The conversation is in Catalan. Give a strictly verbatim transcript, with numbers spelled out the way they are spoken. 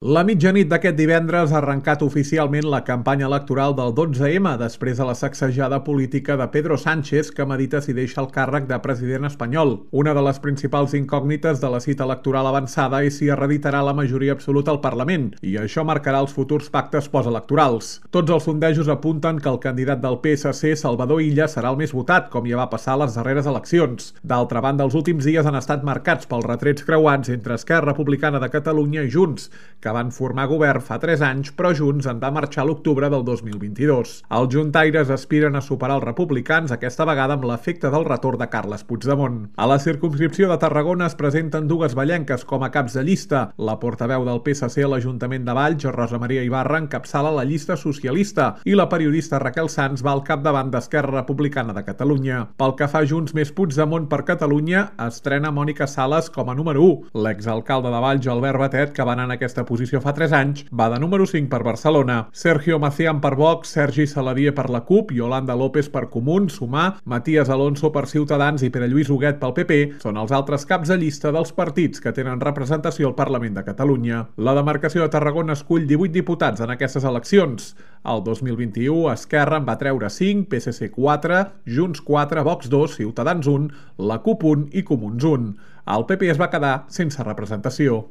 La mitjanit d'aquest divendres ha arrencat oficialment la campanya electoral del dotze ema després de la sacsejada política de Pedro Sánchez, que medita si deixa el càrrec de president espanyol. Una de les principals incògnites de la cita electoral avançada és si hereditarà la majoria absoluta al Parlament, i això marcarà els futurs pactes postelectorals. Tots els sondejos apunten que el candidat del P S C, Salvador Illa, serà el més votat, com ja va passar a les darreres eleccions. D'altra banda, els últims dies han estat marcats pels retrets creuats entre Esquerra Republicana de Catalunya i Junts, que van formar govern fa tres anys, però Junts en va marxar a l'octubre del dos mil vint-i-dos. Els juntaires aspiren a superar els republicans, aquesta vegada amb l'efecte del retorn de Carles Puigdemont. A la circumscripció de Tarragona es presenten dues vallenques com a caps de llista. La portaveu del P S C a l'Ajuntament de Valls, Rosa Maria Ibarra, encapçala la llista socialista i la periodista Raquel Sans va al capdavant d'Esquerra Republicana de Catalunya. Pel que fa a Junts més Puigdemont per Catalunya, estrena Mònica Sales com a número u. L'exalcalde de Valls, Albert Batet, que va anar en aquesta posició fa tres anys, va de número cinc per Barcelona. Sergio Macián per Vox, Sergi Saladié per la CUP, Yolanda López per Comuns, Sumar, Matías Alonso per Ciutadans i Pere Lluís Huguet pel P P són els altres caps de llista dels partits que tenen representació al Parlament de Catalunya. La demarcació de Tarragona escull divuit diputats en aquestes eleccions. El dos mil vint-i-u, Esquerra en va treure cinc, P S C quatre, Junts quatre, Vox dos, Ciutadans un, la CUP un i Comuns un. El P P es va quedar sense representació.